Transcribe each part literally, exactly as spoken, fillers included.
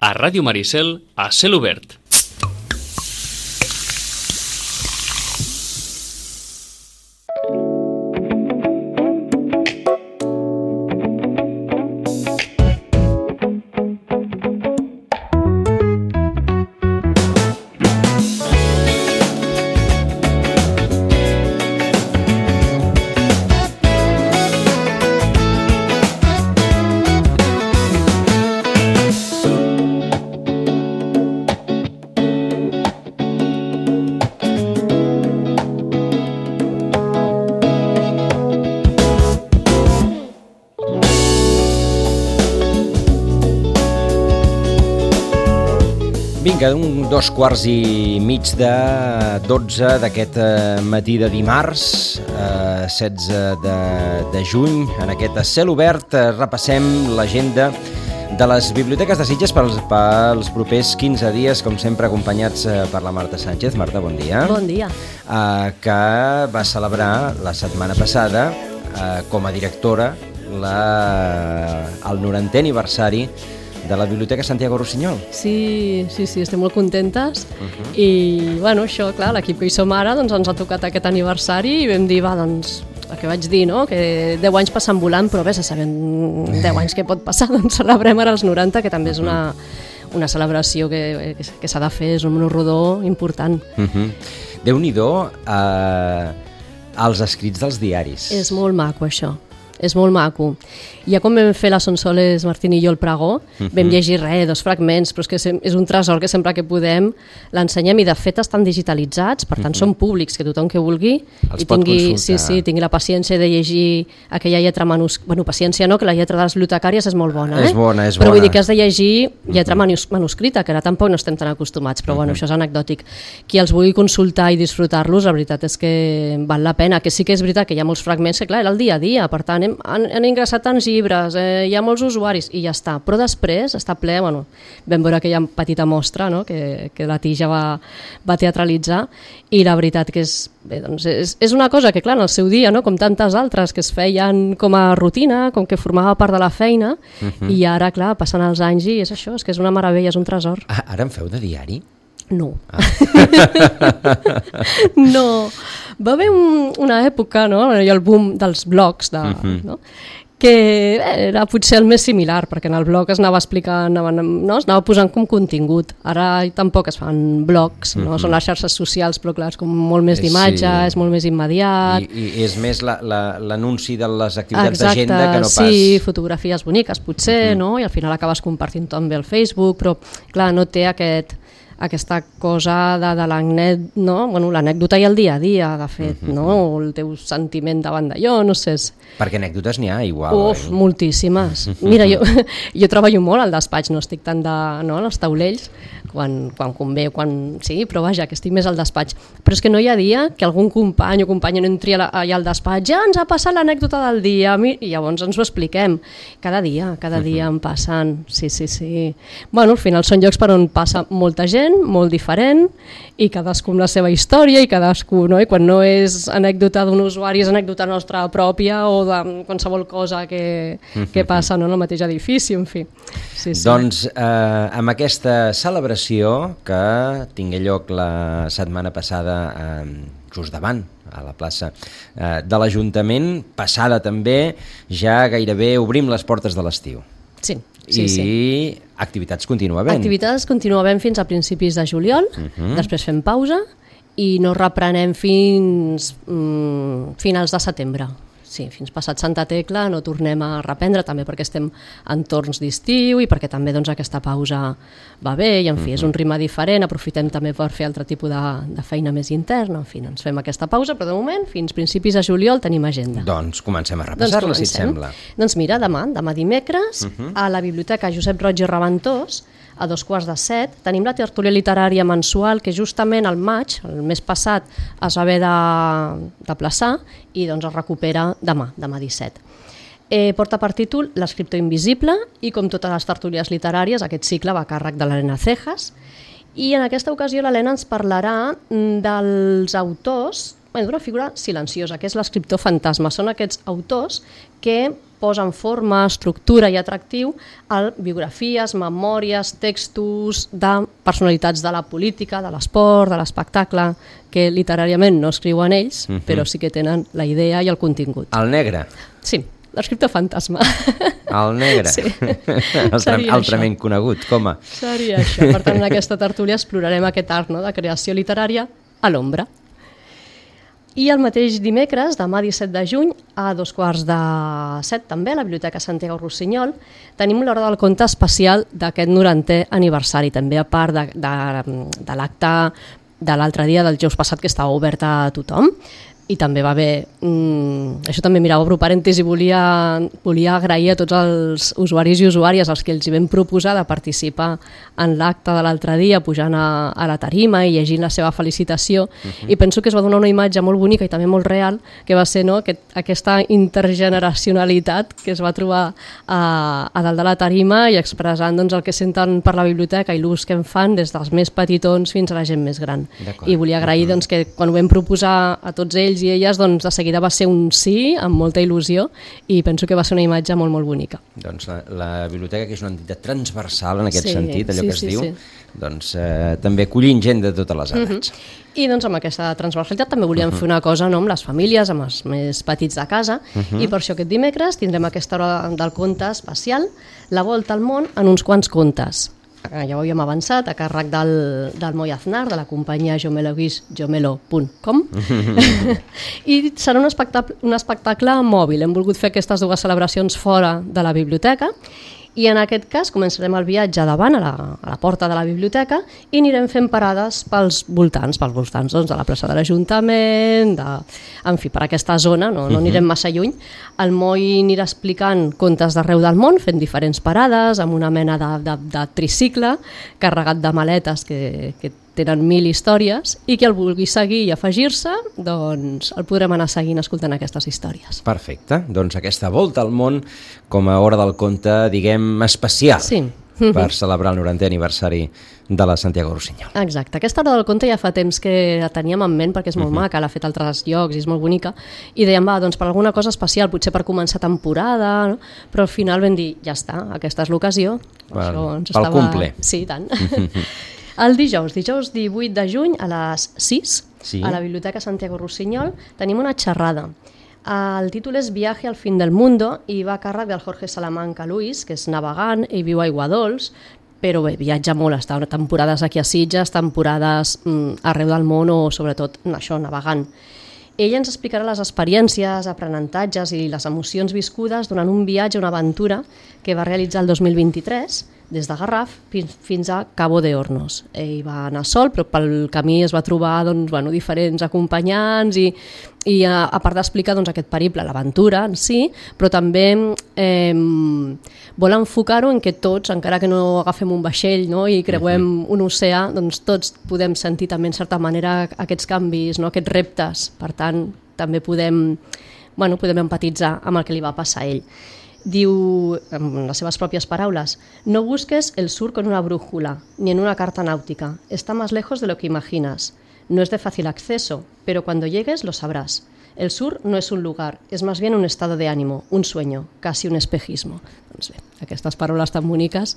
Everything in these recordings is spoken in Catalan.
A Ràdio Maricel, a cel obert. Vinga, un dos quarts i mig de dotze d'aquest matí de dimarts, eh, setze de, de juny. En aquest cel obert eh, repassem l'agenda de les biblioteques de Sitges pels, pels propers quinze dies, com sempre acompanyats eh, per la Marta Sánchez. Marta, bon dia. Bon dia. Eh, que va celebrar la setmana passada eh, com a directora la, el norantè aniversari de la Biblioteca Santiago Rossinyol. Sí, sí, sí, estem molt contentes. Uh-huh. I, bueno, això, clar, l'equip que hi som ara, doncs ens ha tocat aquest aniversari i vam dir, va, doncs, el que vaig dir, no?, que deu anys passant volant, però bé, se saben deu anys què pot passar, doncs celebrem ara els noranta, que també és una, una celebració que, que, que s'ha de fer, és un rodó important. Uh-huh. Déu-n'hi-do eh, els escrits dels diaris. És molt maco, això. És molt maco. Ja quan vam fer la Sonsoles Martín i jo el pregó, uh-huh. vam llegir res, dos fragments, però és que és un tresor que sempre que podem l'ensenyem, i de fet estan digitalitzats, per tant uh-huh. són públics, que tothom que vulgui els i tingui, sí, sí, tingui la paciència de llegir aquella lletra manuscrita. Bueno, paciència no, que la lletra de les bibliotecàries és molt bona, eh? És bona, és però bona. Vull dir que has de llegir lletra manus manuscrita, que ara tampoc no estem tan acostumats, però uh-huh. bueno, això és anecdòtic. Qui els vulgui consultar i disfrutar-los, la veritat és que val la pena, que sí que és veritat que hi ha molts fragments que, clar, era el dia a dia, per tant, hem, han, han ingressat tants llibres, eh, hi ha molts usuaris i ja està, però després està ple, bueno, vam veure aquella petita mostra, no?, que, que la Tija va, va teatralitzar, i la veritat que és, bé, doncs és, és una cosa que, clar, en el seu dia, no?, com tantes altres que es feien com a rutina, com que formava part de la feina, uh-huh. i ara, clar, passen els anys i és això, és que és una meravella, és un tresor. Ah, ara en feu de diari? No. Ah. No. Va haver un, una època, no?, el boom dels blogs, de, uh-huh. no?, que era potser el més similar, perquè en el blog es anava explicant, no? Es anava posant com contingut. Ara tampoc es fan blogs, no? Mm-hmm. Són les xarxes socials, però clar, és com molt més d'imatge, sí. És molt més immediat. I, i és més l'anunci la, la, de les activitats d'agenda que no pas... Sí, fotografies boniques potser, mm-hmm. no? I al final acabes compartint també el Facebook, però clar, no té aquest... aquesta cosa de, de l'anècdota, no? Bueno, l'anècdota i el dia a dia, de fet, uh-huh. no? El teu sentiment davant d'allò, no sé. Perquè anècdotes n'hi ha igual. Uf, eh? Moltíssimes. Mira, jo, jo treballo molt al despatx, no estic tant de, no, als taulells, quan, quan convé, quan... Sí, però vaja, que estic més al despatx. Però és que no hi ha dia que algun company o companya no entri allà al despatx, ja ens ha passat l'anècdota del dia, i llavors ens ho expliquem. Cada dia, cada dia uh-huh. en passen, sí, sí, sí. Bueno, al final són llocs per on passa molta gent, molt diferent, i cadascú amb la seva història, i cadascú, no? I quan no és anècdota d'un usuari, és anècdota nostra pròpia o de qualsevol cosa que, que passa, no?, en el mateix edifici, en fi. Sí, sí. Doncs eh, amb aquesta celebració que tingué lloc la setmana passada eh, just davant, a la plaça eh, de l'Ajuntament, passada també, ja gairebé obrim les portes de l'estiu. Sí. Sí, I sí. activitats continua havent. Activitats continua havent fins a principis de juliol, uh-huh. després fem pausa i no reprenem fins mm, finals de setembre. Sí, fins passat Santa Tecla no tornem a reprendre, també perquè estem en torns d'estiu i perquè també doncs, aquesta pausa va bé i en fi, uh-huh. és un ritme diferent, aprofitem també per fer altre tipus de, de feina més interna, en fi, ens fem aquesta pausa, però de moment fins principis de juliol tenim agenda. Doncs comencem a repassar-la, doncs si et sembla. Doncs mira, demà, demà dimecres, uh-huh. a la Biblioteca Josep Roig i Reventós, a dos quarts de set, tenim la tertúlia literària mensual que justament al maig, el mes passat, es va haver de, de plaçar i doncs es recupera demà, demà disset. Eh, porta per títol L'escriptor invisible i com totes les tertúlies literàries aquest cicle va a càrrec de l'Helena Cejas i en aquesta ocasió l'Helena ens parlarà dels autors, bueno, d'una figura silenciosa que és l'escriptor fantasma. Són aquests autors que posen forma, estructura i atractiu a biografies, memòries, textos de personalitats de la política, de l'esport, de l'espectacle, que literàriament no escriuen ells, uh-huh. però sí que tenen la idea i el contingut. El negre? Sí, l'escriptor fantasma. El negre? Sí. Altre, altrament això. Conegut, com a? Seria això. Per tant, en aquesta tertúlia explorarem aquest art, no?, de creació literària a l'ombra. I el mateix dimecres, demà disset de juny, a dos quarts de set també, a la Biblioteca Santiago Rossinyol, tenim l'Hora del Conte especial d'aquest norantè aniversari, també a part de, de, de l'acte de l'altre dia, del dijous passat, que estava obert a tothom. I també va haver, mm, això també, mira, obro parèntesi, volia, volia agrair a tots els usuaris i usuàries als que els hi vam proposar de participar en l'acte de l'altre dia, pujant a, a la tarima i llegint la seva felicitació, uh-huh. i penso que es va donar una imatge molt bonica i també molt real, que va ser, no?, aquest, aquesta intergeneracionalitat que es va trobar a, a dalt de la tarima i expressant, doncs, el que senten per la biblioteca i l'ús que en fan des dels més petitons fins a la gent més gran. I volia agrair, uh-huh. doncs, que quan ho vam proposar a tots ells i elles, doncs de seguida va ser un sí, amb molta il·lusió, i penso que va ser una imatge molt, molt bonica. Doncs la, la biblioteca, que és una entitat transversal en aquest sí, sentit, allò sí, que es sí, diu, sí. doncs eh, també acollint gent de totes les edats. Uh-huh. I doncs amb aquesta transversalitat també volíem uh-huh. fer una cosa, no?, amb les famílies, amb els més petits de casa, uh-huh. i per això aquest dimecres tindrem aquesta hora del conte especial, la volta al món en uns quants contes. Ja ho havíem avançat, a càrrec del, del Moi Aznar, de la companyia jomelo punt com, i serà un espectacle, un espectacle mòbil. Hem volgut fer aquestes dues celebracions fora de la biblioteca, i en aquest cas començarem el viatge davant a la, a la porta de la biblioteca i anirem fent parades pels voltants, pels voltants doncs, de la plaça de l'Ajuntament, de... en fi, per aquesta zona, no, no anirem massa lluny. El Moi anirà explicant contes d'arreu del món, fent diferents parades, amb una mena de, de, de tricicle carregat de maletes que, que tenen mil històries, i qui el vulgui seguir i afegir-se, doncs el podrem anar seguint escoltant aquestes històries. Perfecte, doncs aquesta volta al món com a hora del conte, diguem, especial, sí. per celebrar el norantè aniversari de la Santiago Rossinyol. Exacte, aquesta hora del conte ja fa temps que la teníem en ment, perquè és molt uh-huh. maca, l'ha fet a altres llocs i és molt bonica, i dèiem, va, doncs per alguna cosa especial, potser per començar temporada, no? Però al final vam dir, ja està, aquesta és l'ocasió. Per, pel estava... cumple. Sí, tant. El dijous, dijous divuit de juny a les sis, sí. a la Biblioteca Santiago Rossinyol, tenim una xerrada. El títol és Viaje al fin del mundo i va a càrrec del Jorge Salamanca Luis, que és navegant i viu a Aiguadols, però bé, viatja molt, està temporades aquí a Sitges, temporades mm, arreu del món o sobretot això, navegant. Ella ens explicarà les experiències, aprenentatges i les emocions viscudes durant un viatge, una aventura que va realitzar el dos mil vint-i-tres des de Garraf fins a Cabo de Hornos. Ell va anar sol, però pel camí es va trobar doncs, bueno, diferents acompanyants i, i a, a part d'explicar doncs, aquest periple, l'aventura en si, però també eh, vol enfocar-ho en que tots, encara que no agafem un vaixell, no, i creuem uh-huh. un oceà, doncs tots podem sentir també en certa manera aquests canvis, no, aquests reptes. Per tant, també podem, bueno, podem empatitzar amb el que li va passar a ell. Diu, en les seves pròpies paraules, no busques el sur con una brújula, ni en una carta náutica. Está más lejos de lo que imaginas. No es de fácil acceso, pero cuando llegues lo sabrás. El sur no es un lugar, es más bien un estado de ánimo, un sueño, casi un espejismo. Doncs bé, aquestes paraules tan boniques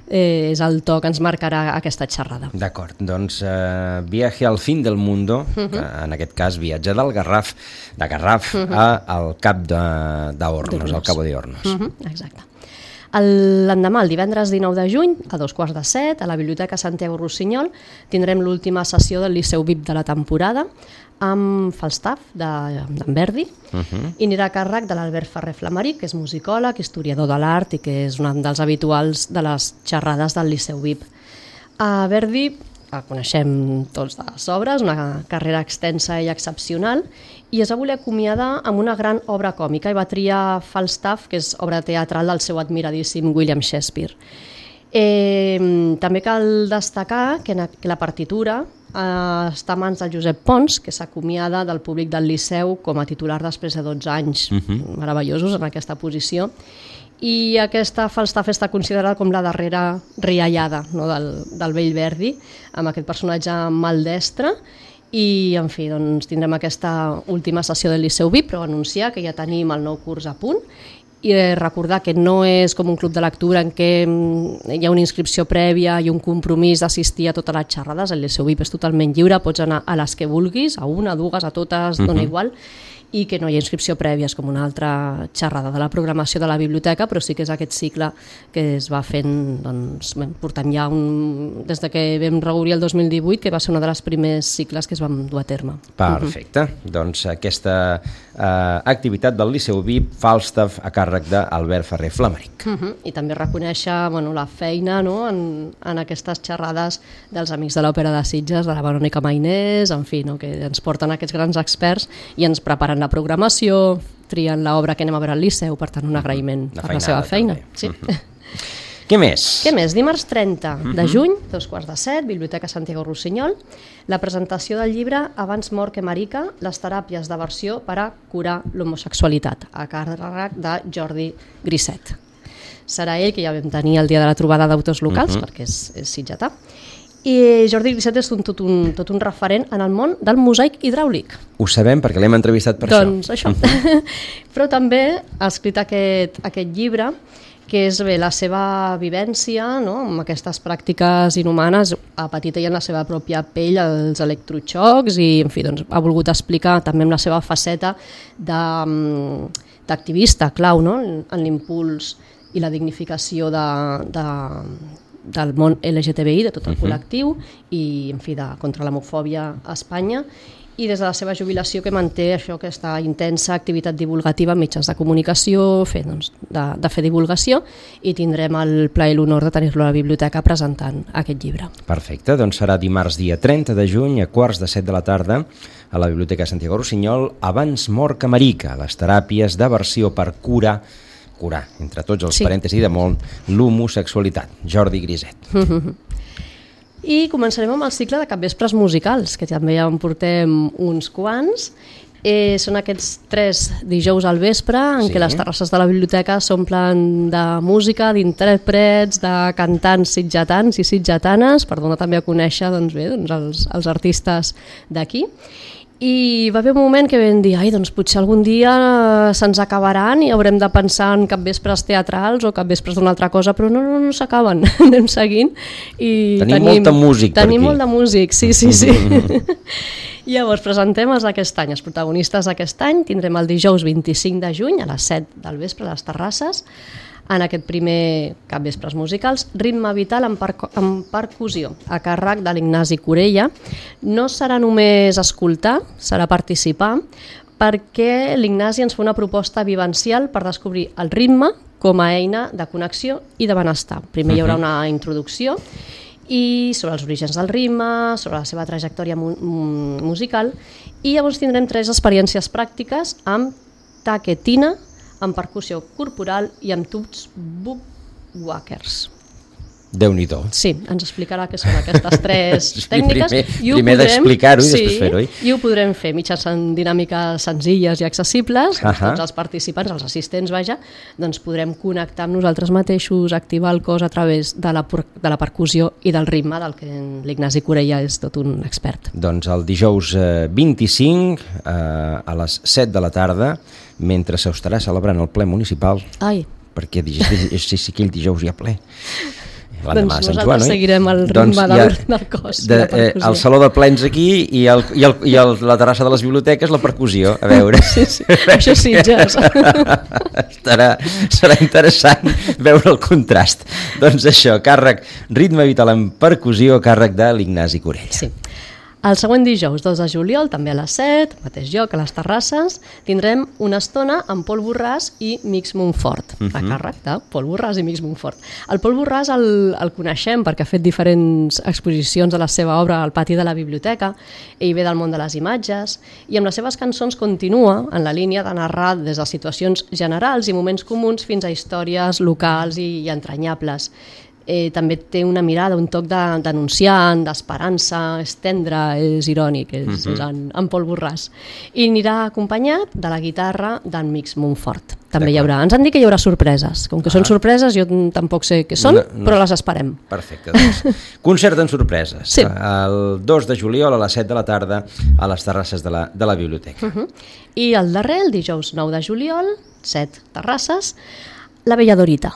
eh, és el to que ens marcarà aquesta xerrada. D'acord, doncs uh, Viaje al fin del mundo, uh-huh. que en aquest cas viatge del Garraf, de Garraf uh-huh. a, al cap d'Hornos, al Cabo de Hornos. Uh-huh. Exacte. L'endemà, el divendres dinou de juny, a dos quarts de set, a la Biblioteca Santiago Rossinyol, tindrem l'última sessió del Liceu V I P de la temporada, amb Falstaff, d'en Verdi, uh-huh. i anirà a càrrec de l'Albert Ferrer Flamaric, que és musicòleg, historiador de l'art i que és un dels habituals de les xerrades del Liceu V I P. A Verdi el coneixem tots de les obres, una carrera extensa i excepcional, i es va voler acomiadar amb una gran obra còmica i va triar Falstaff, que és obra teatral del seu admiradíssim William Shakespeare. Eh, també cal destacar que, que la partitura eh, està a mans del Josep Pons, que s'acomiada del públic del Liceu com a titular després de dotze anys uh-huh. meravellosos en aquesta posició, i aquesta Falstaff està considerada com la darrera riallada, no, del, del vell Verdi, amb aquest personatge maldestre. I, en fi, doncs, tindrem aquesta última sessió del Liceu V I P, però anunciar que ja tenim el nou curs a punt i recordar que no és com un club de lectura en què hi ha una inscripció prèvia i un compromís d'assistir a totes les xerrades. El Liceu V I P és totalment lliure, pots anar a les que vulguis, a una, a dues, a totes, dona igual, i que no hi ha inscripció prèvia, és com una altra xerrada de la programació de la biblioteca, però sí que és aquest cicle que es va fent, doncs, portant ja un, des de que vam reobrir el dos mil divuit, que va ser una de les primers cicles que es van dur a terme. Perfecte. Uh-huh. Doncs aquesta eh, activitat del Liceu V I P Falstaff a càrrec d'Albert Ferrer Flamaric. Uh-huh. I també reconèixer bueno, la feina, no?, en, en aquestes xerrades dels Amics de l'Òpera de Sitges, de la Verònica Mainés, en fi, no?, que ens porten aquests grans experts i ens preparen la programació, trien l'obra que anem a veure al Liceu, per tant un agraïment la per la seva feina. Sí. Uh-huh. Què més? Què més? Dimarts trenta de juny, dos quarts de set, Biblioteca Santiago Rossinyol, la presentació del llibre Abans mort que marica, les teràpies d'aversió per a curar l'homosexualitat, a càrrec de Jordi Griset. Serà ell, que ja vam tenir el dia de la trobada d'autors locals, uh-huh. perquè és, és sitgetà, i Jordi Griset és un, tot, un, tot un referent en el món del mosaic hidràulic. Ho sabem perquè l'hem entrevistat per doncs això. Doncs això. Però també ha escrit aquest, aquest llibre, que és bé la seva vivència, no?, amb aquestes pràctiques inhumanes, ha patit ella en la seva pròpia pell els electroxocs i, en fi, doncs, ha volgut explicar també amb la seva faceta d'activista clau, no?, en l'impuls i la dignificació de, de, del món L G T B I, de tot el col·lectiu, i, en fi, de, contra l'homofòbia a Espanya, i des de la seva jubilació que manté això, aquesta intensa activitat divulgativa en mitjans de comunicació, fer, doncs, de, de fer divulgació, i tindrem el plaer i l'honor de tenir-lo a la biblioteca presentant aquest llibre. Perfecte, doncs serà dimarts dia trenta de juny a quarts de set de la tarda a la Biblioteca Santiago Rossinyol, Abans mort que marica, les teràpies d'aversió per curar curar, entre tots els sí. parèntesis de molt, l'homosexualitat. Jordi Griset. I començarem amb el cicle de capvespres musicals, que també ja en portem uns quants. Eh, són aquests tres dijous al vespre en sí. què les terrasses de la biblioteca s'omplen de música, d'intèrprets, de cantants sitgetans i sitgetanes, per donar també a conèixer doncs bé, doncs els, els artistes d'aquí. I va haver un moment que vam dir, ai, doncs potser algun dia se'ns acabaran i haurem de pensar en capvespres teatrals o capvespres d'una altra cosa, però no, no, no s'acaben, anem seguint. I tenim, tenim molt de músic per Tenim aquí. molt de músic, sí, sí, sí. Llavors presentem els d'aquest any, els protagonistes d'aquest any. Tindrem el dijous vint-i-cinc de juny a les set del vespre a les terrasses, en aquest primer capvespres musicals, Ritme Vital en, per en percussió, a càrrec de l'Ignasi Corella. No serà només escoltar, serà participar, perquè l'Ignasi ens fa una proposta vivencial per descobrir el ritme com a eina de connexió i de benestar. Primer hi haurà una introducció i sobre els orígens del ritme, sobre la seva trajectòria mu musical, i llavors tindrem tres experiències pràctiques amb taquetina, amb percussió corporal i amb tubs buckwalkers. Déu-n'hi-do. Sí, ens explicarà què són aquestes tres tècniques. Primer, primer d'explicar-ho i sí, després fer-ho. I ho podrem fer mitjançant dinàmiques senzilles i accessibles. Uh -huh. Tots els participants, els assistents, vaja, doncs podrem connectar amb nosaltres mateixos, activar el cos a través de la, de la percussió i del ritme, del que l'Ignasi Corella és tot un expert. Doncs el dijous eh, vint-i-cinc eh, a les set de la tarda, mentre s'estarà celebrant el ple municipal. Ai. Perquè sí, sí, aquell dijous hi ha ple. Doncs nosaltres Joan, seguirem el ritme doncs del, del cos. De, eh, el saló de plens aquí i, el, i, el, i el, la terrassa de les biblioteques, la percussió, a veure. Sí, sí. Això sí, Sitges. Estarà, serà interessant veure el contrast. Doncs això, càrrec Ritme Vital en percussió, a càrrec de l'Ignasi Corella. Sí. El següent dijous, dos de juliol, també a les set, mateix lloc, a les terrasses, tindrem una estona amb Pol Borràs i Mix Montfort, uh -huh. a càrrec de Pol Borràs i Mix Montfort. El Pol Borràs el, el coneixem perquè ha fet diferents exposicions de la seva obra al pati de la biblioteca, ell ve del món de les imatges, i amb les seves cançons continua en la línia de narrar des de situacions generals i moments comuns fins a històries locals i, i entranyables. eh, també té una mirada, un toc de, denunciant, d'esperança, és tendre, és irònic, és, uh-huh. és en, en Pol Borràs. I anirà acompanyat de la guitarra d'en Mix Montfort. També hi haurà. Ens han dit que hi haurà sorpreses. Com que ah. són sorpreses, jo tampoc sé què són, no, no. però les esperem. Perfecte. Doncs. Concert en sorpreses. Sí. El dos de juliol a les set de la tarda a les terrasses de la, de la biblioteca. Uh -huh. I el darrer, el dijous nou de juliol, set terrasses, la Bella Dorita,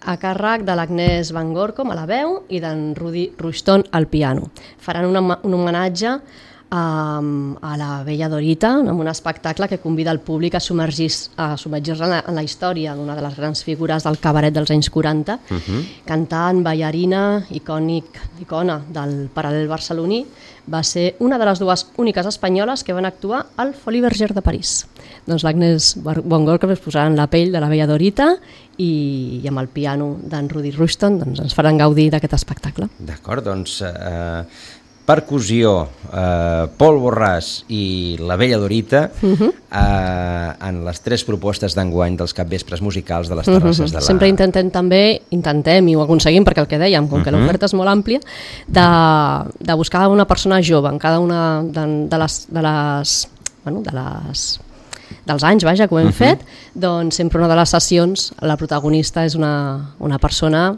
a càrrec de l'Agnès Van Gorcom a la veu i d'en Rudi Rushton al piano. Faran un, un homenatge Um, a la Bella Dorita, amb un espectacle que convida el públic a submergir-se a submergir en, la, en la història d'una de les grans figures del cabaret dels anys quaranta, uh-huh. cantant, ballarina, icònic, icona del paral·lel barceloní, va ser una de les dues úniques espanyoles que van actuar al Folies Bergère de París. Doncs l'Agnès Van Gorcom es posarà en la pell de la Bella Dorita i, i amb el piano d'en Rudi Rushton doncs ens faran gaudir d'aquest espectacle. D'acord, doncs... Uh... percussió, eh, Pol Borràs i la Bella Dorita uh-huh. eh, en les tres propostes d'enguany dels capvespres musicals de les terrasses uh-huh. de la... Sempre intentem també, intentem i ho aconseguim perquè el que dèiem, com uh-huh. que l'oferta és molt àmplia, de, de buscar una persona jove en cada una de, de les... De les, bueno, de les dels anys, vaja, que ho hem uh-huh. fet, doncs sempre una de les sessions la protagonista és una, una persona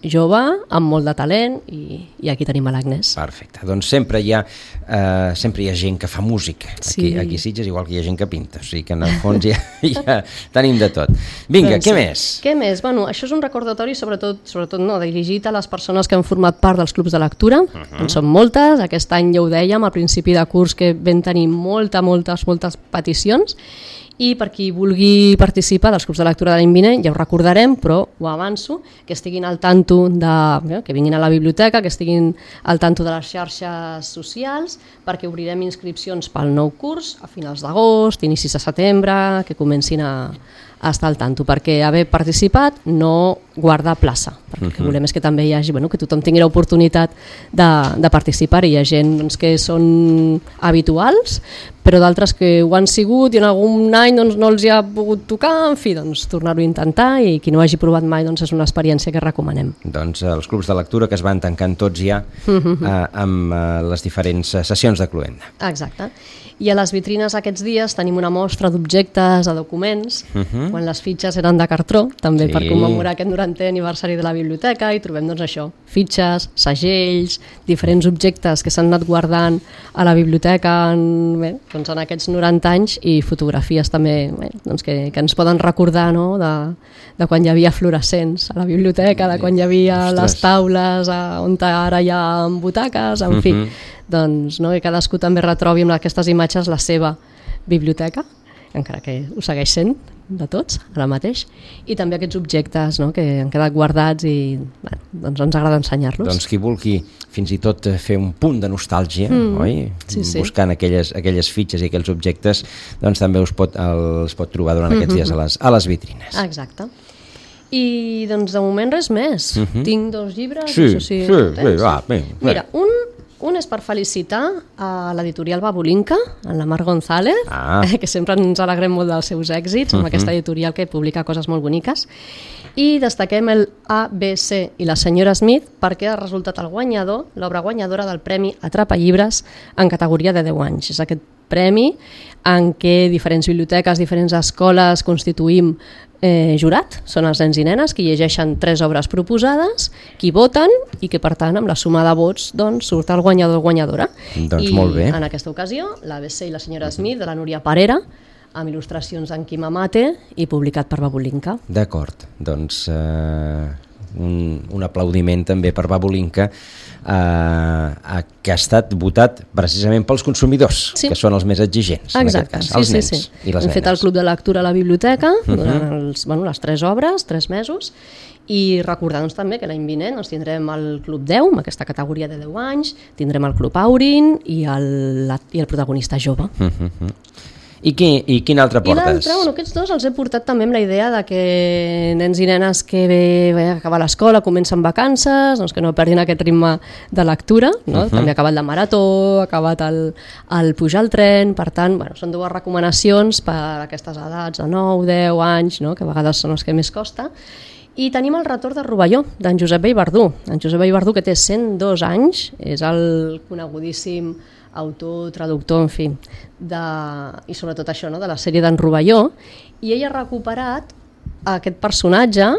jove, amb molt de talent i, i aquí tenim a l'Agnès. Perfecte, doncs sempre hi ha eh, sempre hi ha gent que fa música aquí, sí. aquí a Sitges, igual que hi ha gent que pinta, o sigui que en el fons ja, ja tenim de tot. Vinga, doncs, què sí. més? Què més? Bueno, això és un recordatori sobretot, sobretot no, dirigit a les persones que han format part dels clubs de lectura, uh-huh. en són moltes, aquest any ja ho dèiem al principi de curs que vam tenir molta, moltes, moltes peticions i per qui vulgui participar dels clubs de lectura de l'any vinent, ja ho recordarem, però ho avanço, que estiguin al tanto de, que vinguin a la biblioteca, que estiguin al tanto de les xarxes socials, perquè obrirem inscripcions pel nou curs a finals d'agost, inicis de setembre, que comencin a, a estar al tanto, perquè haver participat no guarda plaça, perquè el que volem és que també hi hagi, bueno, que tothom tingui l'oportunitat de, de participar, i hi ha gent doncs, que són habituals, però d'altres que ho han sigut i en algun any doncs, no els hi ha pogut tocar, en fi, doncs tornar-ho a intentar, i qui no ho hagi provat mai doncs, és una experiència que recomanem. Doncs els clubs de lectura que es van tancant tots ja eh, amb eh, les diferents sessions de Cluenda. Exacte. I a les vitrines aquests dies tenim una mostra d'objectes, de documents, uh-huh. quan les fitxes eren de cartró, també sí. per commemorar aquest norantè aniversari de la biblioteca, i trobem doncs això, fitxes, segells, diferents objectes que s'han anat guardant a la biblioteca en, bé, doncs en aquests noranta anys, i fotografies també bé, doncs que, que ens poden recordar, no?, de, de quan hi havia fluorescents a la biblioteca, de quan hi havia Ostres. les taules a, on ara hi ha butaques, en fi, uh-huh. doncs no, que cadascú també retrobi amb aquestes imatges la seva biblioteca, encara que ho segueix sent de tots, ara mateix, i també aquests objectes, no?, que han quedat guardats i bueno, doncs ens agrada ensenyar-los. Doncs qui vulgui fins i tot fer un punt de nostàlgia, mm, oi? Sí, sí. buscant aquelles, aquelles fitxes i aquells objectes, doncs també us pot, els pot trobar durant aquests mm-hmm. dies a les, a les vitrines. Exacte. I doncs de moment res més. Mm-hmm. Tinc dos llibres. Sí, no sé si sí, bé, va, bé, bé. Mira, un Un és per felicitar a l'editorial Babulinka, en la Mar González, ah. que sempre ens alegrem molt dels seus èxits, amb uh-huh. aquesta editorial que publica coses molt boniques. I destaquem el A B C i la senyora Smith perquè ha resultat el guanyador, l'obra guanyadora del Premi Atrapa Llibres en categoria de deu anys. És aquest premi en què diferents biblioteques, diferents escoles constituïm eh, jurat, són els nens i nenes que llegeixen tres obres proposades, qui voten i que per tant amb la suma de vots doncs, surt el guanyador o guanyadora. Doncs I molt bé. En aquesta ocasió l'A B C i la senyora Smith de la Núria Parera, amb il·lustracions d'en Quim Amate i publicat per Babulinka. D'acord, doncs eh, un, un aplaudiment també per Babulinka, eh, que ha estat votat precisament pels consumidors, sí. que són els més exigents. Exacte, en aquest cas, sí, els sí, nens sí. i les Hem nenes. fet el club de lectura a la biblioteca uh-huh. durant els, bueno, les tres obres, tres mesos, i recordar-nos també que l'any vinent doncs, tindrem el Club deu, amb aquesta categoria de deu anys, tindrem el Club Aurin i el, la, i el protagonista jove. Uh-huh. I, qui, I quin altre portes? I l'altre, bueno, aquests dos els he portat també amb la idea de que nens i nenes que ve, ve a acabar l'escola, comencen vacances, doncs que no perdin aquest ritme de lectura, no? Uh-huh. També ha acabat la marató, ha acabat el, el pujar al tren, per tant, bueno, són dues recomanacions per a aquestes edats de nou, deu anys, no? Que a vegades són els que més costa, I tenim el retorn de Rovelló, d'en Josep Vallverdú. En Josep Vallverdú, que té cent dos anys, és el conegudíssim autor, traductor, en fi, de, i sobretot això, no?, de la sèrie d'en Rovelló, i ell ha recuperat aquest personatge.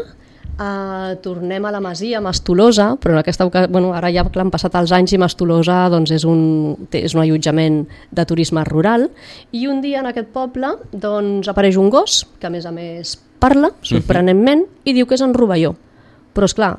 Uh, tornem a la masia, a Mastolosa, però en aquesta ocasió, bueno, ara ja que han passat els anys i Mastolosa doncs, és, un, és un allotjament de turisme rural, i un dia en aquest poble doncs, apareix un gos que a més a més parla, sorprenentment, i diu que és en Rovelló. Però esclar,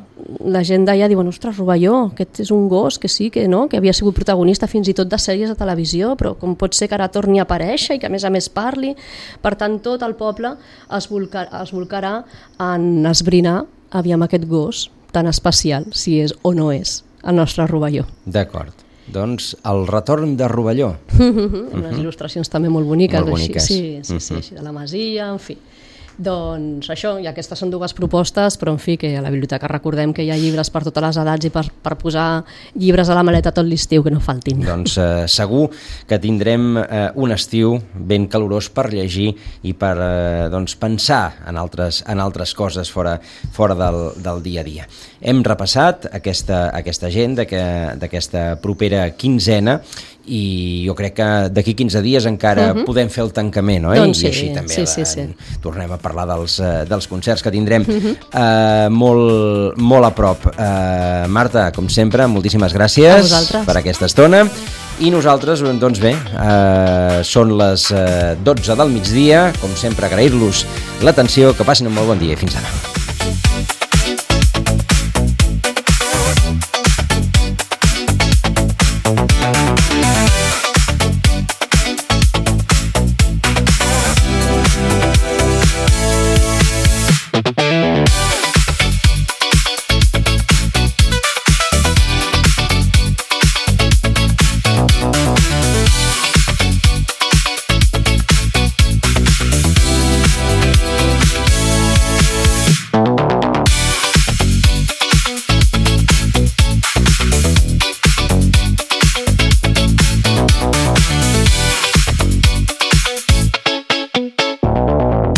la gent d'allà diu, ostres, Rovelló, aquest és un gos que sí, que no, que havia sigut protagonista fins i tot de sèries de televisió, però com pot ser que ara torni a aparèixer i que a més a més parli? Per tant, tot el poble es, volcar, es volcarà en esbrinar aviam aquest gos tan especial, si és o no és el nostre Rovelló. D'acord. Doncs el retorn de Rovelló. Amb les il·lustracions també molt boniques. Molt boniques. Així, sí, sí, sí, així de la masia, en fi. Doncs això, i aquestes són dues propostes, però en fi, que a la biblioteca recordem que hi ha llibres per totes les edats i per, per posar llibres a la maleta tot l'estiu, que no faltin. Doncs eh, segur que tindrem eh, un estiu ben calorós per llegir i per eh, doncs, pensar en altres, en altres coses fora, fora del, del dia a dia. Hem repassat aquesta, aquesta agenda d'aquesta propera quinzena i jo crec que d'aquí quinze dies encara uh-huh. podem fer el tancament, oi? Doncs sí, I així també sí, sí, sí. tornem a parlar dels, dels concerts que tindrem uh-huh. uh, molt, molt a prop. Uh, Marta, com sempre, moltíssimes gràcies per aquesta estona. I nosaltres, doncs bé, uh, són les uh, dotze del migdia, com sempre agrair-los l'atenció, que passin un molt bon dia i fins ara.